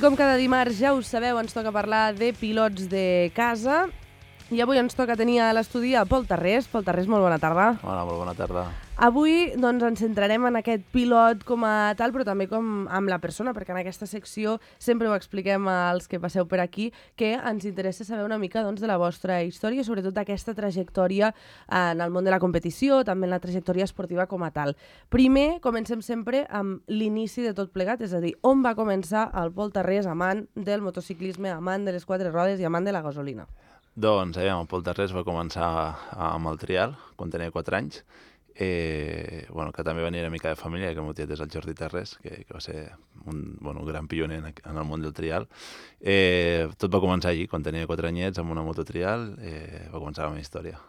com cada dimarts, ja ho sabeu, ens toca parlar de pilots de casa. I avui ens toca tenir a l'estudi a Pol Tarrés. Pol Tarrés, molt bona tarda. Hola, molt bona tarda. Avui doncs, ens centrarem en aquest pilot com a tal, però també com amb la persona, perquè en aquesta secció sempre ho expliquem als que passeu per aquí, que ens interessa saber una mica doncs, de la vostra història, sobretot d'aquesta trajectòria en el món de la competició, també en la trajectòria esportiva com a tal. Primer, comencem sempre amb l'inici de tot plegat, és a dir, on va començar el Pol Tarrés, amant del motociclisme, amant de les quatre rodes i amant de la gasolina? Doncs, el Pol Tarrés va començar amb el trial, quan tenia 4 anys, que també venia una mica de família, que el meu tiet és el Jordi Tarrés, que va ser un gran pioner en el món del trial. Tot va començar allí, quan tenia 4 anyets, amb una mototrial, va començar la meva història.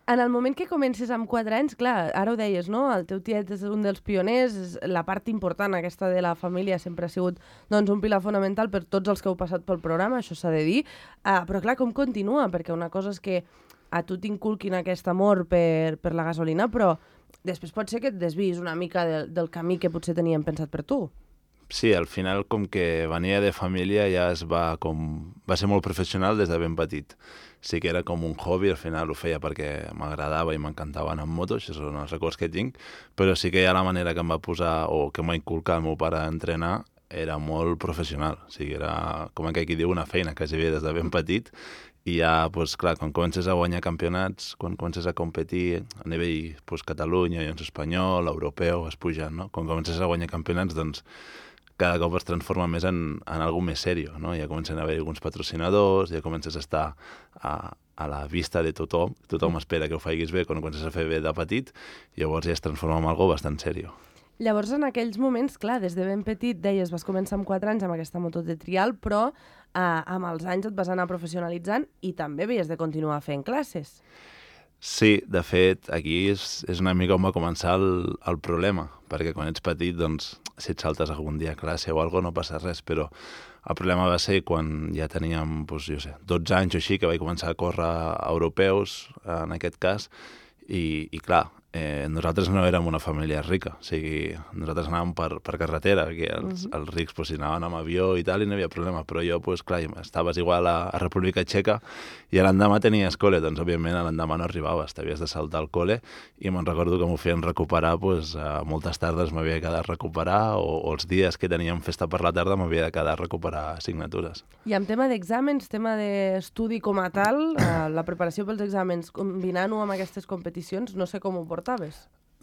En el moment que comences amb 4 anys, clar, ara ho deies, no? El teu tiet és un dels pioners, la part important aquesta de la família sempre ha sigut doncs, un pilar fonamental per tots els que heu passat pel programa, això s'ha de dir. Però clar, com continua? Perquè una cosa és que a tu t'inculquin aquest amor per la gasolina, però després pot ser que et desviïs una mica del camí que potser teníem pensat per tu. Sí, al final, com que venia de família, ja va ser molt professional des de ben petit. Sí que era com un hobby, al final ho feia perquè m'agradava i m'encantava anar amb moto, això són els records que tinc, però sí que ja la manera que em va posar, o que m'ha inculcat el meu pare a entrenar, era molt professional. O sigui, era, com aquí diu, una feina que s'hi des de ben petit, i ja, doncs, clar, quan comences a guanyar campionats, quan comences a competir a nivell Catalunya, Llions espanyol, europeu, vas pujant, no? Quan comences a guanyar campionats, doncs, cada cop es transforma més en algo més seriós, no? Ja comencen a haver alguns patrocinadors, ja comences a estar a la vista de tothom, tothom espera que ho facis bé quan comences a fer bé de petit, i llavors ja es transforma en algo bastant seriós. Llavors, en aquells moments, clar, des de ben petit, deies, vas començar amb 4 anys amb aquesta moto de trial, però amb els anys et vas anar professionalitzant i també havies de continuar fent classes. Sí, de fet, aquí és una mica on va començar el problema, perquè quan ets petit, doncs, si et saltes algun dia a classe o alguna cosa, no passa res, però el problema va ser quan ja teníem, doncs, 12 anys o així, que vaig començar a córrer europeus, en aquest cas, i clar, nosaltres no érem una família rica, o sigui, nosaltres anàvem per carretera, que els rics pues, anaven amb avió i tal, i no hi havia problema, però jo, pues, clar, estaves igual a República Txeca i l'endemà tenies col·le, doncs, òbviament, l'endemà no arribaves, t'havies de saltar al col·le, i me'n recordo que m'ho feien recuperar, pues, moltes tardes m'havia de quedar a recuperar, o els dies que teníem festa per la tarda m'havia de quedar a recuperar assignatures. I en tema d'exàmens, tema d'estudi com a tal, la preparació pels exàmens, combinant-ho amb aquestes competicions, no sé com ho portaves.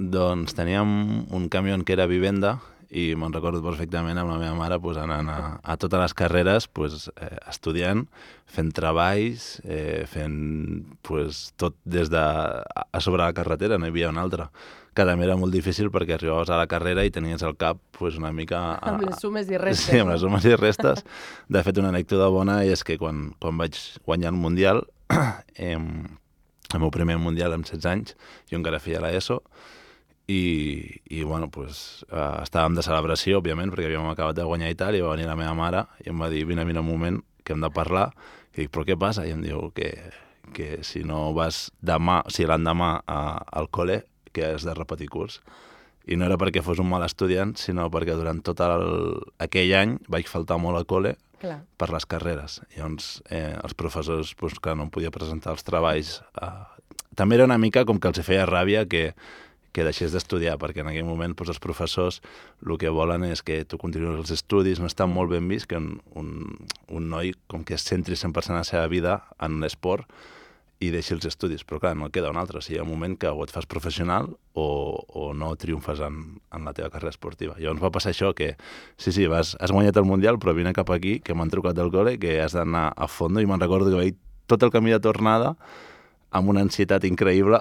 Doncs teníem un camió que era Vivenda i me'n recordo perfectament amb la meva mare pues, anant a totes les carreres pues, estudiant, fent treballs, fent pues, tot des de a sobre la carretera, no hi havia una altra. Que també era molt difícil perquè arribaves a la carrera i tenies el cap pues, una mica... Amb les sumes i restes. Sí, amb les sumes i restes. De fet, una anècdota bona és que quan vaig guanyar el Mundial, el meu primer Mundial amb 16 anys, jo encara feia l'ESO, i bueno, pues, estàvem de celebració, òbviament, perquè havíem acabat de guanyar i tal, i va venir la meva mare i em va dir, vine un moment, que hem de parlar, i dic, però què passa? I em diu que si no vas demà, si l'endemà al col·le, que has de repetir curs. I no era perquè fos un mal estudiant, sinó perquè durant tot aquell any vaig faltar molt al col·le, clar, per les carreres. Llavors, els professors, pues, que no em podia presentar els treballs, també era una mica com que els feia ràbia que deixés d'estudiar, perquè en aquell moment pues, els professors el que volen és que tu continuïs els estudis, no està molt ben vist que un noi com que es centri 100% a la seva vida en l'esport i deixi els estudis, però clar, no queda un altre. O sigui, hi ha un moment que o et fas professional o no triomfes en la teva carrera esportiva. Llavors va passar això, que sí, has guanyat el Mundial, però vine cap aquí, que m'han trucat del col·le, que has d'anar a fondo, i me'n recordo que vaig tot el camí de tornada amb una ansietat increïble,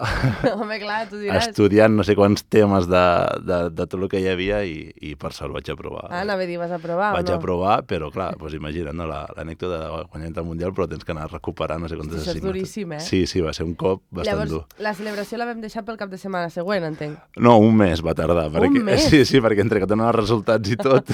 home, clar, tu diràs. Estudiant no sé quants temes de tot el que hi havia i per sort vaig aprovar. Anava a dir, vas aprovar o no? Vaig aprovar, però clar, doncs imagina't, no, l'anècdota de guanyar el Mundial, però tens que anar a recuperar no sé quantes assignatures. Això és duríssim, eh? Sí, va ser un cop bastant dur. Llavors, la celebració la vam deixar pel cap de setmana següent, entenc. No, un mes va tardar. Un mes? Sí, perquè entre que donaven els resultats i tot,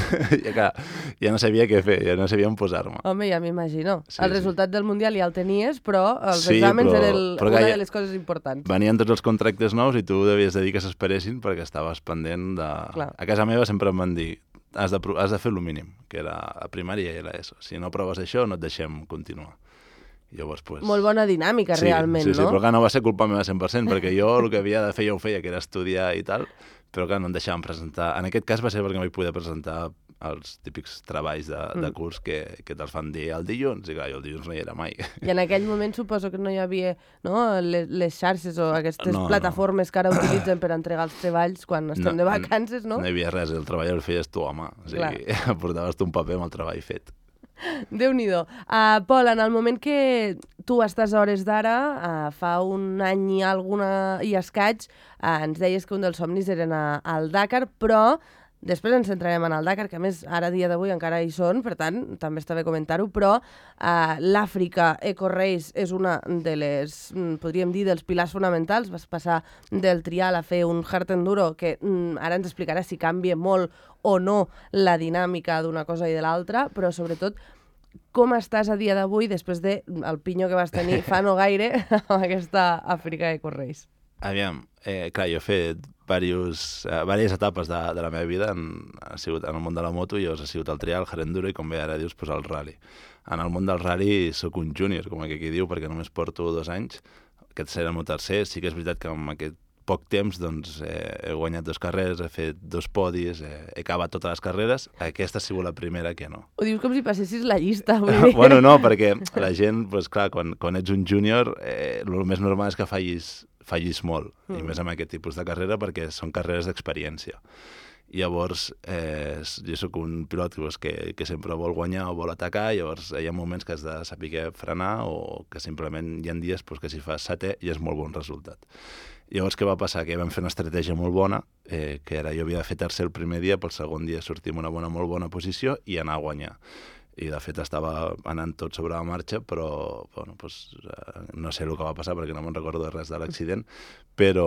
ja no sabia què fer, ja no sabia on posar-me. Home, ja m'imagino. Sí, el resultat del Mundial ja el tenies, però els Sí, exàmens però- eren però una que de les coses importants. Venien tots els contractes nous i tu devies de dir que s'esperessin perquè estaves pendent de... Clar. A casa meva sempre em van dir has de fer el mínim, que era a primària i a l'ESO. Si no proves això, no et deixem continuar. Llavors, pues... Molt bona dinàmica, realment, no? Sí, no? però clar, no va ser culpa meva 100%, perquè jo el que havia de fer ja ho feia, que era estudiar i tal, però clar, no em deixaven presentar. En aquest cas va ser perquè no vaig poder presentar els típics treballs de curs que te'ls fan dir el dilluns, i clar, jo el dilluns no hi era mai. I en aquell moment suposo que no hi havia les xarxes o aquestes plataformes que ara utilitzen per entregar els treballs quan estem de vacances, no? No hi havia res, el treball el feies tu a mà, o sigui, portaves tu un paper amb el treball fet. Déu-n'hi-do. Pol, en el moment que tu estàs a hores d'ara, fa un any i escaig, ens deies que un dels somnis era anar al Dakar, però després ens centrarem en el Dakar, que a més ara dia d'avui encara hi són, per tant, també està bé comentar-ho, però l'Àfrica Eco Race és una de les, podríem dir, dels pilars fonamentals. Vas passar del trial a fer un hard enduro, que ara ens explicarà si canvia molt o no la dinàmica d'una cosa i de l'altra, però sobretot com estàs a dia d'avui després del pinyo que vas tenir fa no gaire amb aquesta Àfrica Eco Race. Aviam, clar, jo he fet diverses etapes de la meva vida ha sigut en el món de la moto, llavors ha sigut el trial, el hard enduro i, com bé ara dius, pues, el rally. En el món del rally sóc un júnior, com aquí diu, perquè només porto 2 anys. Aquest serà el meu tercer. Sí que és veritat que en aquest poc temps doncs, he guanyat 2 carreres, he fet 2 podis, he acabat totes les carreres. Aquesta ha sigut la primera que no. Ho dius com si passessis la llista. Bueno, no, perquè la gent, pues, clar, quan ets un júnior, el més normal és que fallis molt, i més amb aquest tipus de carrera, perquè són carreres d'experiència. Llavors, jo sóc un pilot que sempre vol guanyar o vol atacar, llavors hi ha moments que has de saber frenar o que simplement hi ha dies que si fas setè ja és molt bon resultat. Llavors, què va passar? Que vam fer una estratègia molt bona, que era jo havia de fer tercer el primer dia, pel segon dia sortir en una molt bona posició i anar a guanyar. I, de fet, estava anant tot sobre la marxa, però bueno, pues, no sé el que va passar perquè no me'n recordo de res de l'accident, però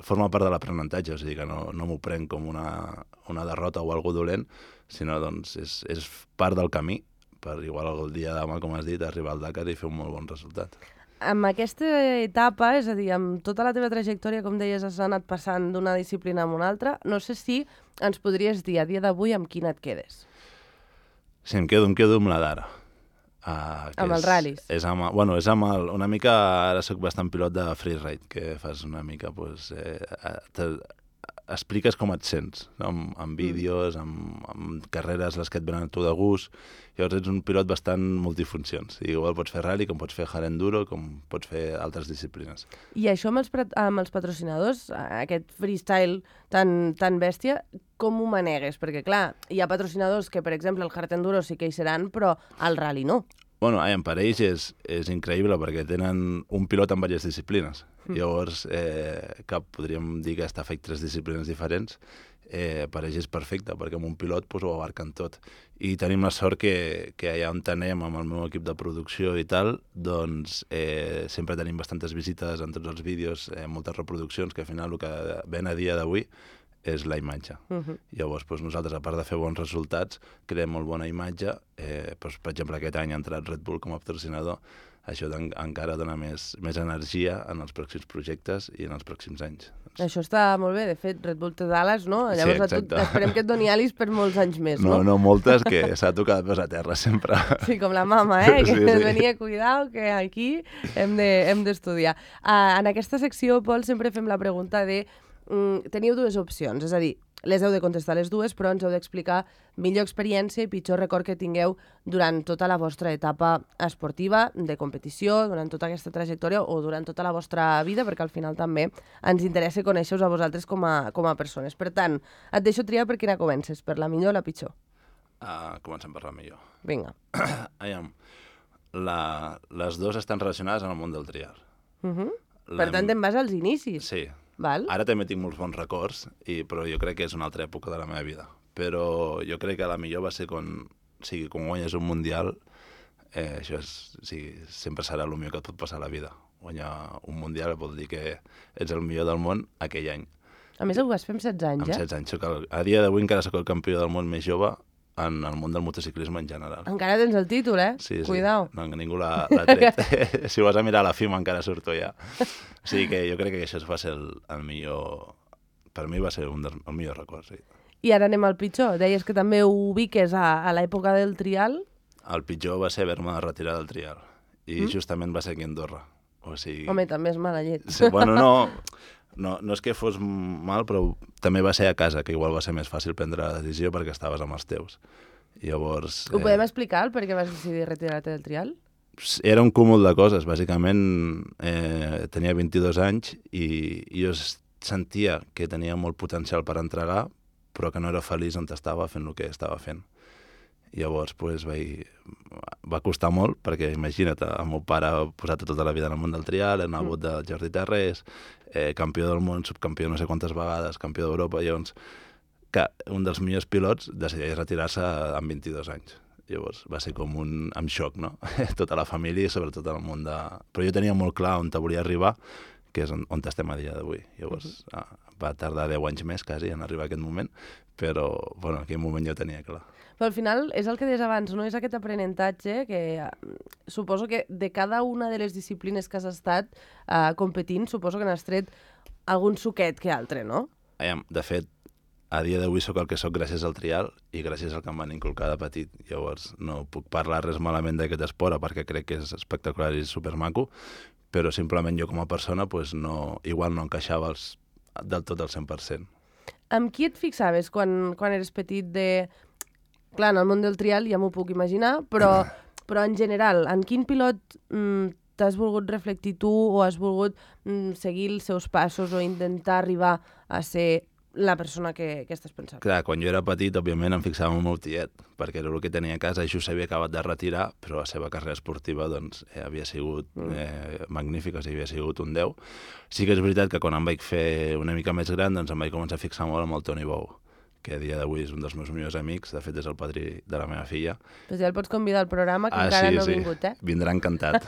forma part de l'aprenentatge, o sigui que no m'ho prenc com una derrota o algo dolent, sinó doncs, és part del camí per, igual el dia de demà, com has dit, arribar al Dakar i fer un molt bon resultat. Amb aquesta etapa, és a dir, amb tota la teva trajectòria, com deies, has anat passant d'una disciplina a una altra, no sé si ens podries dir a dia d'avui amb quina et quedes. Sí, em quedo amb la d'ara. Amb els ral·lis? És amb una mica, ara soc bastant pilot de freeride, que fas una mica, doncs, expliques com et sents, no? Amb vídeos, amb carreres les que et venen a tu de gust. Llavors ets un pilot bastant multifuncions. Igual pots fer rally, com pots fer hard enduro, com pots fer altres disciplines. I això amb els patrocinadors, aquest freestyle tan bèstia, com ho manegues? Perquè, clar, hi ha patrocinadors que, per exemple, el hard enduro sí que hi seran, però el rally no. Bueno, per ells és increïble perquè tenen un pilot en diverses disciplines. Llavors, podríem dir que està fet 3 disciplines diferents. Per ells és perfecte, perquè amb un pilot ho abarquen tot. I tenim la sort que allà on anem amb el meu equip de producció i tal, doncs sempre tenim bastantes visites en tots els vídeos, moltes reproduccions, que al final el que ven a dia d'avui és la imatge. Llavors, nosaltres, a part de fer bons resultats, creem molt bona imatge. Per exemple, aquest any ha entrat Red Bull com a patrocinador. Això encara dona més energia en els pròxims projectes i en els pròxims anys. Això està molt bé. De fet, Red Bull té d'ales, no? Llavors, sí, esperem que et doni alis per molts anys més, no? No moltes, que s'ha tocat de peus a terra sempre. Sí, com la mama, que ens venia a cuidar, que aquí hem d'estudiar. En aquesta secció, Pol, sempre fem la pregunta de teniu 2 opcions, és a dir, les heu de contestar les dues, però ens heu d'explicar millor experiència i pitjor record que tingueu durant tota la vostra etapa esportiva, de competició, durant tota aquesta trajectòria o durant tota la vostra vida, perquè al final també ens interessa conèixer-vos a vosaltres com a persones. Per tant, et deixo triar per quina comences, per la millor o la pitjor? Comencem per la millor. Vinga. Les dues estan relacionades amb el món del trial. Per tant, te'n vas als inicis. Sí. Val? Ara també tinc molts bons records, però jo crec que és una altra època de la meva vida. Però jo crec que la millor va ser quan guanyes un mundial, això sempre serà el millor que et pot passar a la vida. Guanyar un mundial vol dir que ets el millor del món aquell any. A més, ho vas fer amb 16 anys, Amb 16 anys. A dia d'avui encara sóc el campió del món més jove en el món del motociclisme en general. Encara tens el títol, Sí. Cuidao. No, ningú l'ha tret. Si ho vas a mirar a la FIMA encara surto ja. O sigui que jo crec que això va ser el millor... Per mi va ser el millor record, sí. I ara anem al pitjor. Deies que també ho ubiques a l'època del trial. El pitjor va ser haver-me de retirar del trial. I justament va ser aquí a Andorra. O sigui... Home, també és mala llet. Sí, bueno, no és que fos mal, però també va ser a casa, que igual va ser més fàcil prendre la decisió perquè estaves amb els teus. Llavors... Ho podem explicar, per què vas decidir retirar-te del trial? Era un cúmul de coses. Bàsicament, tenia 22 anys i jo sentia que tenia molt potencial per entregar, però que no era feliç on estava fent el que estava fent. Llavors, va costar molt, perquè imagina't, el meu pare ha posat tota la vida en el món del trial, en el bot del Jordi Terrés, campió del món, subcampió no sé quantes vegades, campió d'Europa, llavors, que un dels millors pilots decideix retirar-se amb 22 anys. Llavors va ser com amb xoc, no? Tota la família i sobretot el món de... Però jo tenia molt clar on volia arribar, que és on estem a dia d'avui. Llavors va tardar 10 anys més, quasi, en arribar a aquest moment, però en aquell moment jo tenia clar. Però al final és el que deies abans, no? És aquest aprenentatge que suposo que de cada una de les disciplines que has estat competint, suposo que n'has tret algun suquet que altre, no? De fet, a dia d'avui sóc el que sóc gràcies al trial i gràcies al que em van inculcar de petit. Llavors no puc parlar res malament d'aquest esport perquè crec que és espectacular i supermaco, però simplement jo com a persona igual no encaixava del tot al 100%. Amb qui et fixaves quan eres petit Clar, en el món del trial ja m'ho puc imaginar, però en general, en quin pilot t'has volgut reflectir tu o has volgut seguir els seus passos o intentar arribar a ser la persona que estàs pensant? Clar, quan jo era petit, òbviament, em fixava en el tiet, perquè era el que tenia a casa, i just s'havia acabat de retirar, però la seva carrera esportiva havia sigut magnífica, havia sigut un 10. Sí que és veritat que quan em vaig fer una mica més gran, em vaig començar a fixar molt amb el Toni Bou, que a dia d'avui és un dels meus millors amics, de fet és el padrí de la meva filla. Pues ja el pots convidar al programa, que encara no ha vingut, eh? Vindrà encantat.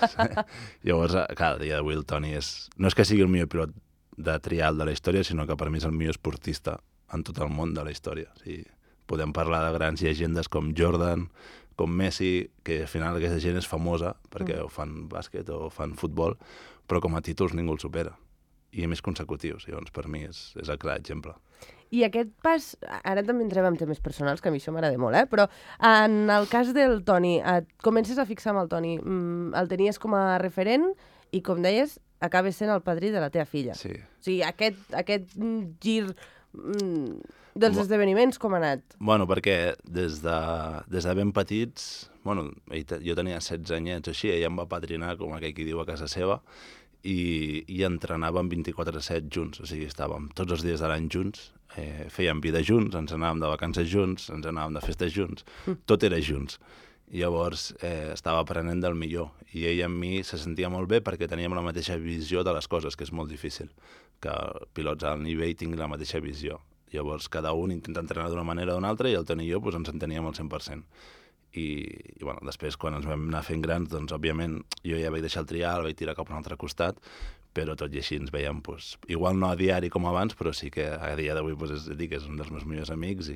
Llavors, clar, a dia d'avui el Toni no és que sigui el millor pilot de trial de la història, sinó que per mi és el millor esportista en tot el món de la història. O sigui, podem parlar de grans llegendes com Jordan, com Messi, que al final aquesta gent és famosa perquè ho fan bàsquet o fan futbol, però com a títols ningú el supera. I a més consecutius. Llavors, per mi és el clar exemple. I aquest pas, ara també entrem en temes personals, que a mi això m'agrada molt, però en el cas del Toni, et comences a fixar amb el Toni, el tenies com a referent i, com deies, acabes sent el padrí de la teva filla. Sí. O sigui, aquest gir dels esdeveniments, com ha anat? Bueno, perquè des de ben petits, jo tenia 16 anyets o així, ella em va padrinar, com aquell qui diu, a casa seva, i entrenàvem 24/7 junts, o sigui, estàvem tots els dies de l'any junts, fèiem vida junts, ens anàvem de vacances junts, ens anàvem de festes junts, tot era junts. Llavors estava aprenent del millor, i ell amb mi se sentia molt bé perquè teníem la mateixa visió de les coses, que és molt difícil, que pilots al nivell tinguin la mateixa visió. Llavors cada un intenta entrenar d'una manera o d'una altra i el Toni i jo ens enteníem al 100%. I després, quan ens vam anar fent grans, doncs, òbviament, jo ja vaig deixar el trial, vaig tirar cap a un altre costat, però tot i així ens veiem, igual no a diari com abans, però sí que a dia d'avui és un dels meus millors amics.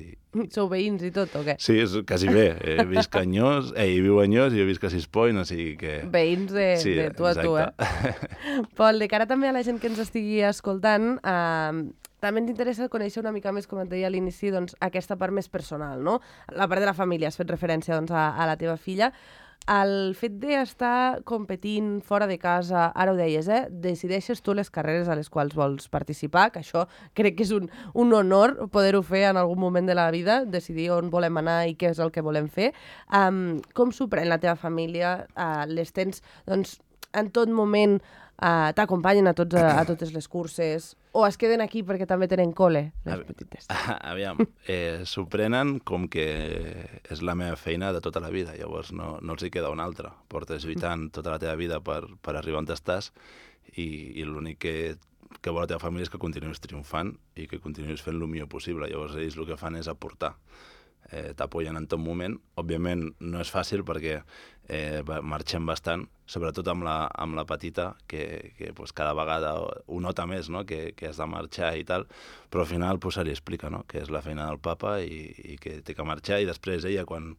Sou veïns i tot, o què? Sí, és quasi bé. Visc a Anyós, ell viu a Anyós i jo visc a Sis Point, o sigui que... Veïns de tu a tu, Pol, de cara també a la gent que ens estigui escoltant, també ens interessa conèixer una mica més, com et deia a l'inici, doncs, aquesta part més personal, no? La part de la família, has fet referència doncs, a la teva filla. El fet d'estar competint fora de casa, ara ho deies, decideixes tu les carreres a les quals vols participar, que això crec que és un honor poder-ho fer en algun moment de la vida, decidir on volem anar i què és el que volem fer. Com s'ho pren la teva família? Les tens, doncs, en tot moment t'acompanyen a totes les curses o es queden aquí perquè també tenen col·le, les petites? Aviam, s'ho prenen com que és la meva feina de tota la vida, llavors no els hi queda una altra. Portes lluitant tota la teva vida per arribar on estàs i l'únic que vol la teva família és que continuïs triomfant i que continuïs fent el millor possible. Llavors ells el que fan és aportar. T'apoyen en tot moment. Òbviament no és fàcil perquè marxem bastant, sobretot amb la petita, que cada vegada ho nota més, no? que has de marxar i tal, però al final se li explica, no? que és la feina del papa i que té que marxar, i després ella quan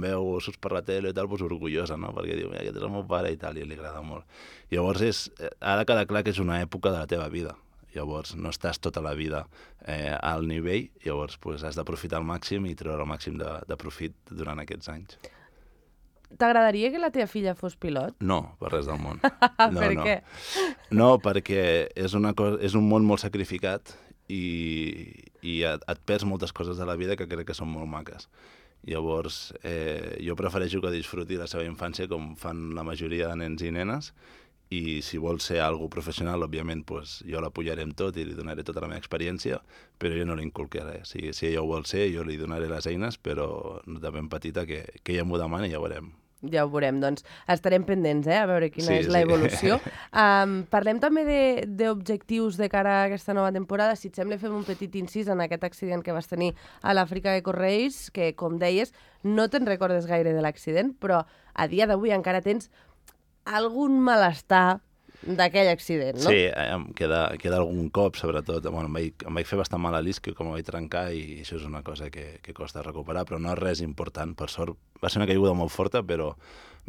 veu surts per la tele i tal, orgullosa, no? perquè diu, aquest és el meu pare i tal, i li agrada molt. Llavors ha de quedar clar que és una època de la teva vida. llavors no estàs tota la vida al nivell, llavors pues, has d'aprofitar al màxim i treure el màxim de profit durant aquests anys. T'agradaria que la teva filla fos pilot? No, per res del món. Per què? No, perquè és un món molt sacrificat i et perds moltes coses de la vida que crec que són molt maques. Llavors, jo prefereixo que disfruti la seva infància com fan la majoria de nens i nenes, i si vol ser algo professional, òbviament, pues, jo l'apoyaré amb tot i li donaré tota la meva experiència, però jo no li inculcaré. Si ella ho vol ser, jo li donaré les eines, però de ben petita que ella m'ho demani i ja ho veurem. Ja ho veurem, doncs estarem pendents, a veure quina és la evolució. Parlem també d'objectius de cara a aquesta nova temporada. Si et sembla, fem un petit incís en aquest accident que vas tenir a l'Àfrica de Correis, que, com deies, no te'n recordes gaire de l'accident, però a dia d'avui encara tens algun malestar d'aquell accident, no? Sí, em queda algun cop, sobretot. Bueno, em vaig fer bastant mal a l'isquio, com em vaig trencar, i això és una cosa que costa recuperar, però no és res important. Per sort, va ser una caiguda molt forta, però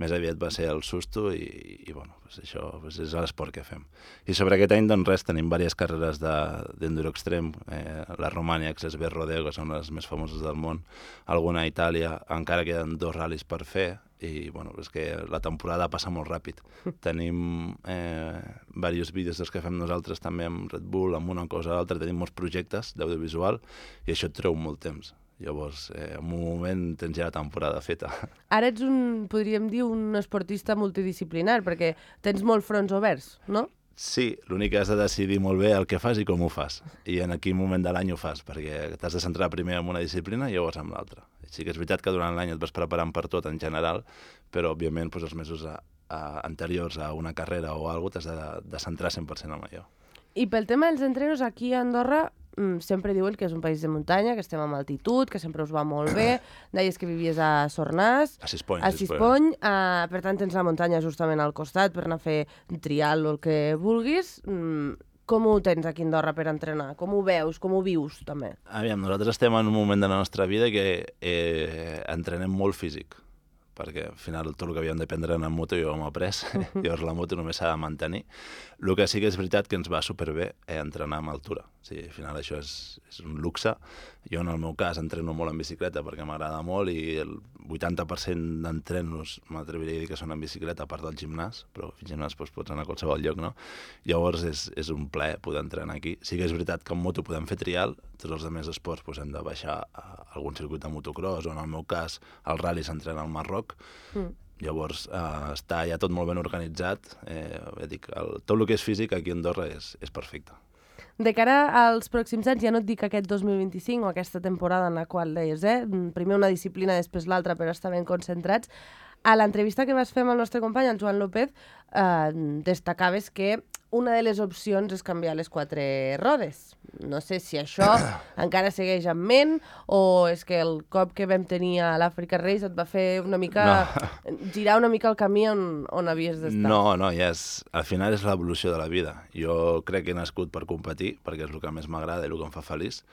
més aviat va ser el susto i bueno, pues això pues és l'esport que fem. I sobre aquest any, doncs res, tenim diverses carreres d'enduro extrem, la Romània, l'Esbert Rodeo, que són les més famoses del món, alguna a Itàlia, encara queden 2 ral·lis per fer, i bueno, és que la temporada passa molt ràpid. Tenim diversos vídeos dels que fem nosaltres també amb Red Bull, amb una cosa o l'altra, tenim molts projectes d'audiovisual i això et treu molt temps. Llavors, en un moment tens ja la temporada feta. Ara ets podríem dir, un esportista multidisciplinar, perquè tens molts fronts oberts, no? Sí, l'únic que has de decidir molt bé el que fas i com ho fas. I en quin moment de l'any ho fas, perquè t'has de centrar primer en una disciplina i llavors en l'altra. Sí que és veritat que durant l'any et vas preparant per tot en general, però òbviament doncs, els mesos anteriors a una carrera o alguna cosa t'has de centrar 100% en allò. I pel tema dels entrenos, aquí a Andorra sempre diuen que és un país de muntanya, que estem amb altitud, que sempre us va molt bé. Deies que vivies a Sornàs, a Sispony. Per tant tens la muntanya justament al costat per anar a fer trial o el que vulguis. Com ho tens aquí a Andorra per entrenar? Com ho veus? Com ho vius, també? Aviam, nosaltres estem en un moment de la nostra vida que entrenem molt físic, perquè al final tot el que havíem d'aprendre en moto jo m'ho he après, llavors la moto només s'ha de mantenir. El que sí que és veritat que ens va superbé entrenar amb altura. Sí, al final això és un luxe. Jo en el meu cas entreno molt en bicicleta perquè m'agrada molt i el 80% d'entrenos m'atreviria a dir que són en bicicleta, a part del gimnàs, però al gimnàs pots anar a qualsevol lloc, no? Llavors és un plaer poder entrenar aquí. Sí que és veritat que en moto podem fer trial, tots els altres esports hem de baixar a algun circuit de motocross, o en el meu cas el ral·li s'entrena al Marroc. Llavors està ja tot molt ben organitzat. Tot el que és físic aquí a Andorra és perfecte. De cara als pròxims anys, ja no et dic aquest 2025 o aquesta temporada en la qual deies, primer una disciplina, després l'altra, per estar ben concentrats. A l'entrevista que vas fer amb el nostre company, en Joan López, destacaves que una de les opcions és canviar les 4 rodes. No sé si això encara segueix en ment o és que el cop que vam tenir a l'Africa Race et va fer una mica girar una mica el camí on havies d'estar. No, ja al final és l'evolució de la vida. Jo crec que he nascut per competir, perquè és el que més m'agrada i el que em fa feliç.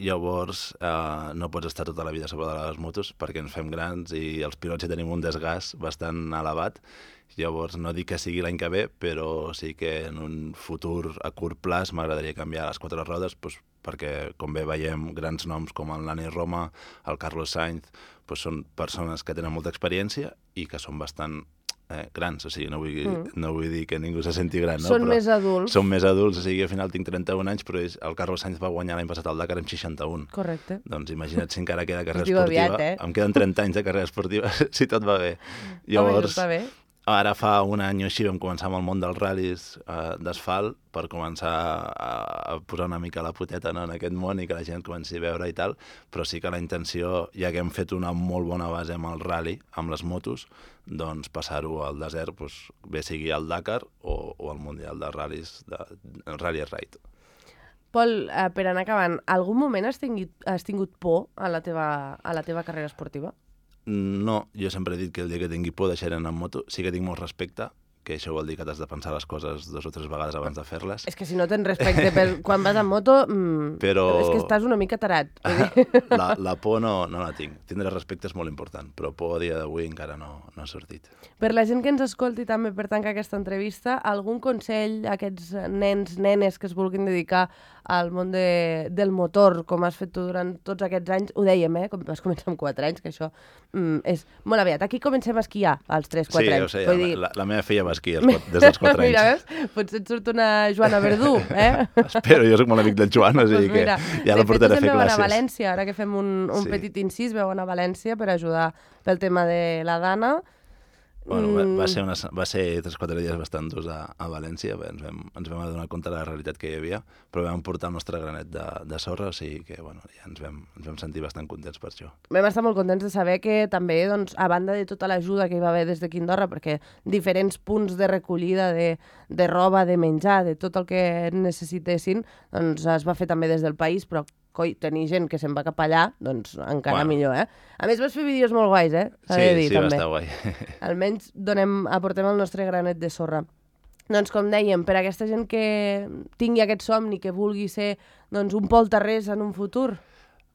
Llavors no pots estar tota la vida sobre de les motos perquè ens fem grans i els pilots ja tenim un desgast bastant elevat. Llavors no dic que sigui l'any que ve, però sí que en un futur a curt plaç m'agradaria canviar les 4 rodes perquè, com bé veiem, grans noms com el Nani Roma, el Carlos Sainz, són persones que tenen molta experiència i que són bastant grans, o sigui, no vull dir que ningú se senti gran, no? Són més adults. Són més adults, o sigui, al final tinc 31 anys, però el Carlos Sainz va guanyar l'any passat al Dakar amb 61. Correcte. Doncs imagina't si encara queda carrera esportiva. Aviat, Em queden 30 anys de carrera esportiva, si tot va bé. Llavors, està bé. Ara fa un any o així vam començar amb el món dels ral·lis d'asfalt per començar a posar una mica la poteta en aquest món i que la gent comenci a veure i tal, però sí que la intenció, ja que hem fet una molt bona base amb el ral·li, amb les motos, doncs passar-ho al desert, bé sigui al Dakar o al Mundial de ral·lis, el Rally Ride. Pol, per anar acabant, algun moment has tingut por a la teva carrera esportiva? No, jo sempre he dit que el dia que tingui por deixaré anar en moto. Sí que tinc molt respecte, que això vol dir que t'has de pensar les coses 2 o 3 vegades abans de fer-les. És que si no tens respecte quan vas en moto, Però... és que estàs una mica tarat. La por no la tinc. Tindre respecte és molt important, però por a dia d'avui encara no ha sortit. Per la gent que ens escolti també per tancar aquesta entrevista, algun consell a aquests nens, nenes que es vulguin dedicar al món del motor, com has fet tu durant tots aquests anys? Ho dèiem, com vas començar amb 4 anys, que això és molt aviat. Aquí comencem a esquiar als 3-4 anys. Sí, jo sé, dir... la meva filla va esquiar des dels 4 anys. Mira, veus? Potser et surt una Joana Verdú, Espero, jo soc molt amic del Joan, o sigui que ja la portaré a fer classes. De fet, veuen a València, ara que fem un petit incís, veuen a València per ajudar pel tema de la Dana. Bueno, va ser 3 o 4 dies bastant durs a València, ens vam adonar compte de la realitat que hi havia, però vam portar el nostre granet de sorra, o sigui que ja ens vam sentir bastant contents per això. Vam estar molt contents de saber que també, doncs, a banda de tota l'ajuda que hi va haver des de Quindorra, perquè diferents punts de recollida de roba, de menjar, de tot el que necessitessin, doncs es va fer també des del país, però tenir gent que se'n va cap allà, doncs encara millor, A més, vas fer vídeos molt guais, Sí, va estar guai. Almenys aportem el nostre granet de sorra. Doncs, com dèiem, per a aquesta gent que tingui aquest somni, que vulgui ser un polterrers en un futur.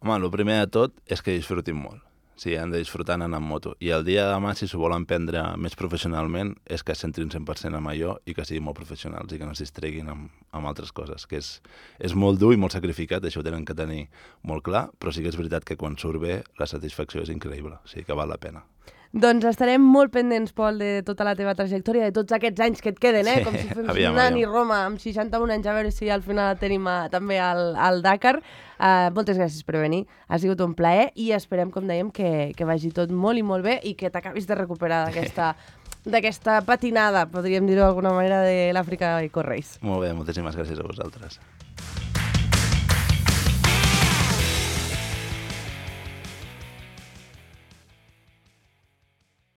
Home, el primer de tot és que disfrutin molt. Sí, han de disfrutar anant amb moto. I el dia de demà, si s'ho volen prendre més professionalment, és que es centrin 100% en allò i que siguin molt professionals i que no es distreguin amb altres coses, que és molt dur i molt sacrificat, això ho tenen que tenir molt clar, però sí que és veritat que quan surt bé la satisfacció és increïble, o sigui que val la pena. Doncs estarem molt pendents, Pol, de tota la teva trajectòria, de tots aquests anys que et queden, com si fos un any i Roma, amb 61 anys, a veure si al final tenim també al Dakar. Moltes gràcies per venir, ha sigut un plaer i esperem, com dèiem, que vagi tot molt i molt bé i que t'acabis de recuperar d'aquesta patinada, podríem dir-ho d'alguna manera, de l'Àfrica Eco Race. Molt bé, moltíssimes gràcies a vosaltres.